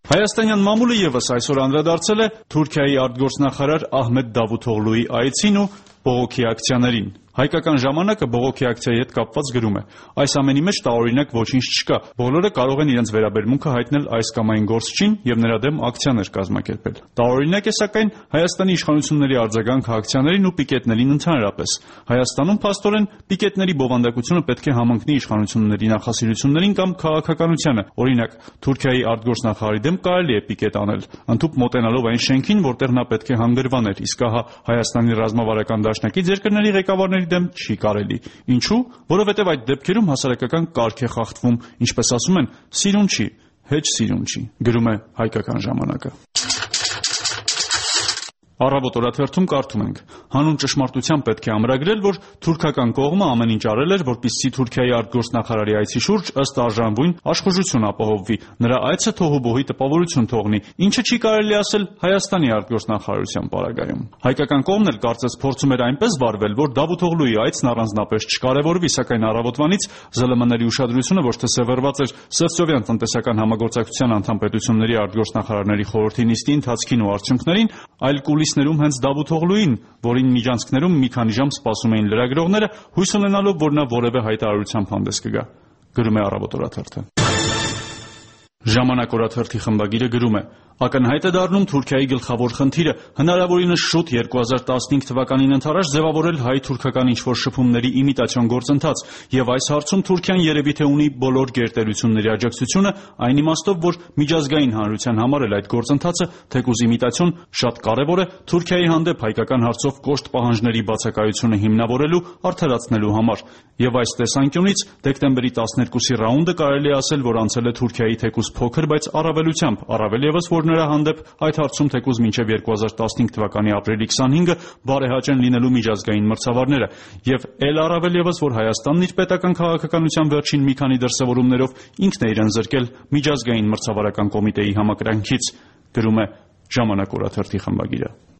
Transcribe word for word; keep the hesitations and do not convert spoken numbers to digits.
Հայաստանյան մամուլը ևս այսօր անդրադարձել է Թուրքիայի արտգործնախարար Ահմեդ Դավութօղլուի այցին ու բողոքի ակցիաներին։ Հայկական ժամանակը բողոքի ակցիայի հետ կապված գրում է. այս ամենի մեջ տարօրինակ ոչինչ չկա, բոլորը կարող են իրենց վերաբերմունքը հայտնել այս կամ այն գործչին և նրա դեմ ակցիաներ կազմակերպել։ Տարօրինակ է սակայն Հայաստանի իշխանությունների արձագանքը ակցիաներին ու պիկետներին ընդհանրապես։ Հայաստանում փաստորեն պիկետների բովանդակությունը պետք է համընկնի իշխանությունների նախասիրություններին կամ քաղաքականությանը։ Օրինակ, Թուրքիայի արտգործնախարարի դեմ կարելի է պիկետ անել, ընդհուպ մոտենալով այն շենքին, որտեղ նա պետք է հանգրվաներ, իսկ ահա Հայաստանի ռազմավարական դաշնակից երկրների ղեկավարների դեմ չի կարելի։ Ինչու՞, որովհետև այդ դեպքերում հասարակական կարգ է խախտվում, ինչպես ասում են, սիրուն չի, հեչ սիրուն չի, գրում է Հայկական ժամանակը։ Առավոտ օրաթերթում կարդում ենք. հանուն ճշմարտության պետք է ամրագրել, որ թուրքական կողմը ամեն ինչ արել էր, որպեսզի Թուրքիայի արտգործնախարարի այցի շուրջ ըստ արժանվույն աշխատություն ապահովվի, նրա այցը թոհուբոհի տպավորություն թողնի, ինչը չի կարելի ասել Հայաստանի արտգործնախարարության պարագայում։ Հայկական կողմն էլ կարծես փորձում էր այնպես վարվել, որ Դավութօղլուի այցն առանձնապես չկարևորվի, սակայն առավոտվանից ԶԼՄ-ների ուշադրությունը ոչ թե սևեռված էր Սևծովյան տնտեսական համագործակցության անդամ պետությունների արտգործնախարարների խորհրդի նիստի ընթացքին ու արդյունքներին, այլ կուլիսներում հենց Դավութօղլուին, որին միջանցքներում մի քանի ժամ սպասում էին լրագրողները, հույս ունենալով, որ նա որևէ հայտարարությամբ հանդես կգա, գրում է Առավոտ օրաթերթը։ Ժամանակ օրաթերթի խմբագիրը գրում է. ակնհայտ է դառնում Թուրքիայի գլխավոր խնդիրը հնարավորինս շուտ երկու հազար տասնհինգ թվականին ընթരാճ ձևավորել հայ-թուրքական ինչ-որ շփումների իմիտացիոն գործընթաց, և այս հարցում Թուրքիան երևի թե ունի բոլոր գերտերությունների աջակցությունը, այն իմաստով, որ միջազգային հանրության համար էլ այդ գործընթացը, թեկուզ իմիտացիոն, շատ կարևոր է Թուրքիայի հանդեպ հայկական հարցով կոշտ պահանջների բացակայությունը հիմնավորելու, արդարացնելու համար։ Եվ այս տեսանկյունից դեկտեմբերի տասներկուսի ռաունդը կարելի է ասել, որ անցել է Թուրքիայի թեկուզ փոքր, բայց առավելությամբ, առավել ևս, որ նրա հանդեպ այդ հարցում թեկուզ մինչև երկու հազար տասնհինգ թվականի ապրիլի քսանհինգը բարեհաճ են լինելու միջազգային մրցավարները, և էլ առավել ևս, որ Հայաստանն իր պետական քաղաքականության վերջին մի քանի դրսևորումներով ինքն է իրեն զրկել միջազգային մրցավարական կոմիտեի համակրանքից, գրում է Ժամանակ օրաթերթի խմբագիրը։